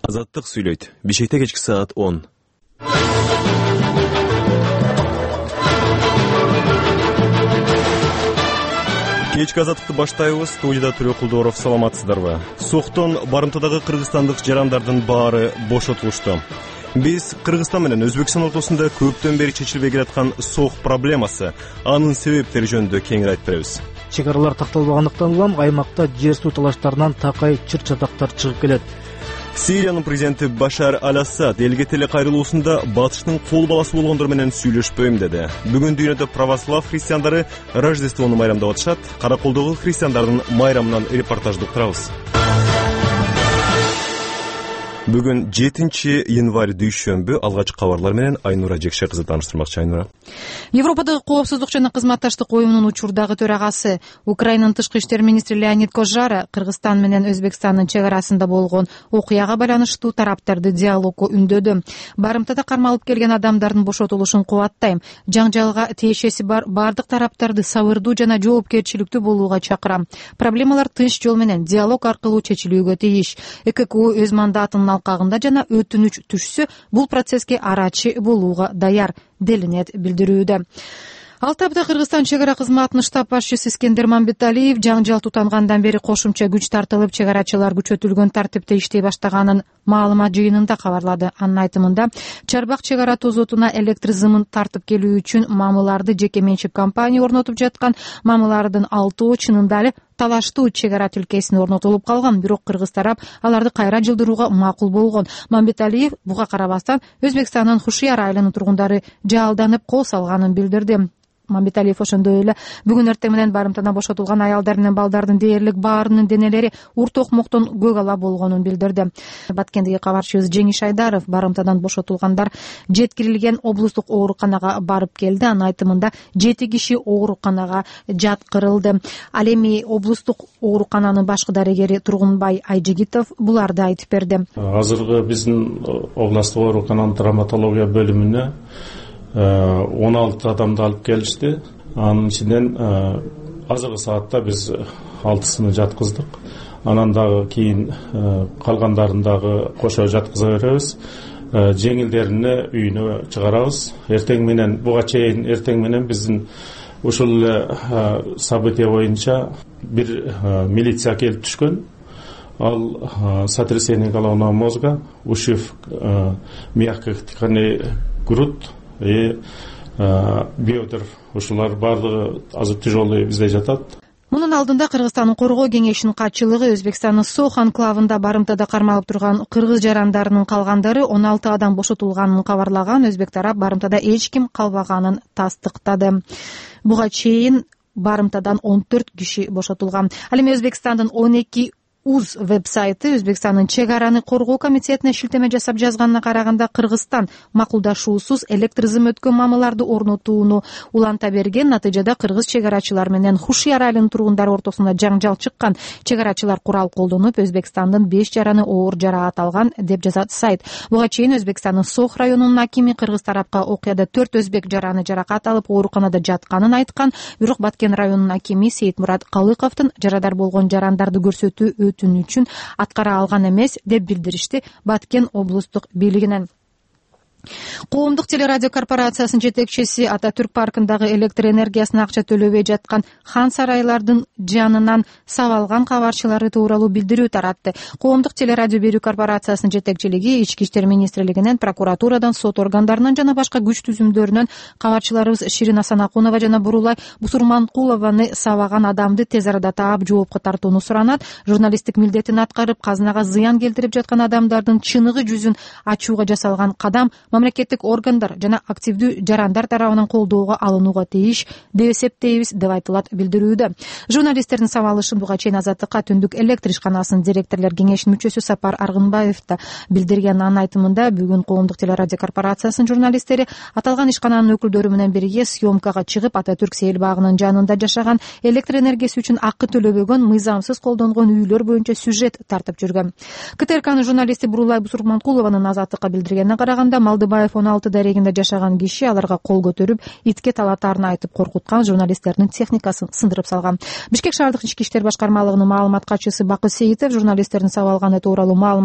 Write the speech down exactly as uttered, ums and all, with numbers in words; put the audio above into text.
Азаттык сүйлөйт. Бишкекте кечки саат он. Кечки азаттыкты баштайбыз. Студияда Түрө Кулдоров. Саламатсыздарбы? Соктон барымтадагы кыргызстандык жарандардын баары бошотулушту. Биз Кыргызстан менен Өзбекстан ортосунда көптөн бери чечилбей келаткан сох проблемасы, анын себептери жөнүндө кеңири айтып беребиз. Чек аралар такталбагандыктан улам аймакта жер суу талаштарынан такай чыр-чатактар чыгып келет. Сириянын президенти Башар аль-Асад элге теле кайрылуусунда батыштын кол баласы болгондор менен сүйлөшпөйм деди. Бүгүн дүйнөдө православ христиандары Рождествону майрамдап атышат. Караколдогу христиандардын майрамынан репортажды уктурабыз. Бүгүн жетинчи январь дүйшөмбү. Алгачкы кабарлар менен Айнура Жекше кызы тааныштырмакчы. Айнура. Европадагы коопсуздук жана кызматташтык уюмунун учурдагы төрагасы, Украинанын тышкы иштер министри Леонид Кожара Кыргызстан менен Өзбекстандын чек арасында болгон окуяга байланыштуу тараптарды диалогго үндөдү. Барымтада кармалып келген адамдардын бошотулушун кубаттайм. Жаңжалга тиешеси бар бардык тараптарды сабырдуу жана жоопкерчиликтүү болууга чакырам. Проблемалар тынч жол менен диалог аркылуу чечилүүгө тийиш. ЭККУ өз мандатынын алкагында жана өтүнүч түшсө, бул процесске арачы болууга даяр делинет билдирүүдө. Алты апта Кыргызстан чек ара кызматынын штаб башчысы Искендер Мамбеталиев жаңжал тутангандан бери кошумча күч тартылып, чек арачылар күчөтүлгөн тартипте иштей баштаганын маалымат жыйынында кабарлады. Анын айтымында, Чарбак чек ара тозотуна электр зымын тартып келүү үчүн мамыларды жеке менчик компания орнотуп жаткан. Мамылардын алтоо чынында эле талаштуу чек ара тилкесине орнотулуп калган, бирок кыргыз тарап аларды кайра жылдырууга макул болгон. Мамбеталиев буга карабастан Өзбекстандын Хушияр айылынын тургундары жаалданып кол салганын билдирди. Мамбеталиев ошондой эле бүгүн эртең менен барымтадан бошотулган аялдар менен балдардын дээрлик баарынын денелери урт окмоктон көк ала болгонун билдирди. Баткендеги кабарчыбыз Жеңиш Айдаров барымтадан бошотулгандар жеткирилген облустук ооруканага барып келди. Анын айтымында жети киши ооруканага жаткырылды. Ал эми облустук оорукананын башкы дарегери Тургунбай Айжигитов буларды айтып берди. Азыркы биздин облустук оорукананын травматология бөлүмүнө он алты адамды алып келишти. Анын ичинен азыркы саатта биз алтысын жаткыздык. Анан дагы кийин калгандарын дагы кошо жаткыза беребиз. Жеңилдерине үйүнө чыгарабыз. Эртең менен буга чейин эртең менен биздин ушул эле события боюнча бир милиция келип түшкөн. Ал сотрясение головного мозга, ушиб мягких тканей грудь и бедер, ушулар баардыгы азыр тяжелый бизде жатат. Мунун алдында Кыргызстандын коргоо кеңешинин катчылыгы Өзбекстандын Сох анклавында барымтада кармалып турган кыргыз жарандарынын калгандары он алты адам бошотулганын кабарлаган. Өзбек тарап барымтада эч ким калбаганын тастыктады. Буга чейин барымтадан он төрт киши бошотулган. Ал эми Өзбекстандын он эки УЗ веб-сайты Өзбекстандын чек араны коргоо комитетине шилтеме жасап жазганына караганда, Кыргызстан макулдашуусуз электр зым өткөн мамыларды орнотууну уланта берген. Натыйжада кыргыз чек арачылар менен Хушияр айылынын тургундары ортосунда жаңжал чыккан. Чек арачылар курал колдонуп, Өзбекстандын беш жараны оор жараат алган деп жазат сайт. Буга чейин Өзбекстандын Сох районунун акими кыргыз тарапка окуяда төрт өзбек жараны жаракат алып ооруканада жатканын айткан. Бирок Баткен районунун акими Сейитмурат Калыковдун жарадар болгон жарандарды көрсөтүү үчүн аткара алган эмес деп билдиришти Баткен облустук бийлигинен. Коомдук телерадио корпорациясынын жетекчиси Ататүрк паркындагы электр энергиясына акча төлөбөй жаткан хан сарайлардын жанынан сабалган кабарчылары тууралуу билдирүү таратты. Коомдук телерадио берүү корпорациясынын жетекчилиги Ички иштер министрлигинен, прокуратурадан, сот органдарынан жана башка күч түзүмдөрүнөн кабарчыларыбыз Ширин Асанакунова жана Бурулай Бусурманкулованы сабаган адамды тез арада таап жоопко тартууну суранат. Журналисттик милдетин аткарып, казынага зыян келтирип жаткан адамдардын чыныгы жүзүн ачууга жасалган кадам мамлекеттик органдар жана активдүү жарандар тарабынан колдоого алынууга тийиш деп эсептейбиз деп айтылат билдирүүдө. Журналисттердин сабалышын буга чейин Азаттыкка Түндүк электр ишканасынын директорлор кеңешинин мүчөсү Сапар Аргынбаев да билдирген. Анын айтымында, бүгүн Коомдук телерадио корпорациясынын журналисттери аталган ишкананын өкүлдөрү менен бирге съемкага чыгып, Ататүрк сейил багынын жанында жашаган, электр энергиясы үчүн акы төлөбөгөн, мыйзамсыз колдонгон үйлөр боюнча сюжет тартып жүргөн. КТРКнын журналисти Бурулай Бусурманкулованын Азаттыкка билдиргенине караганда, Малдыбаев он алты дарегинде жашаган киши аларга кол көтөрүп, итке талатаарын айтып коркуткан, журналисттердин техникасын сындырып салган. Бишкек шаардык ички иштер башкармалыгынын маалымат катчысы Бакы Сейитов журналисттердин сабалганы тууралуу маалымат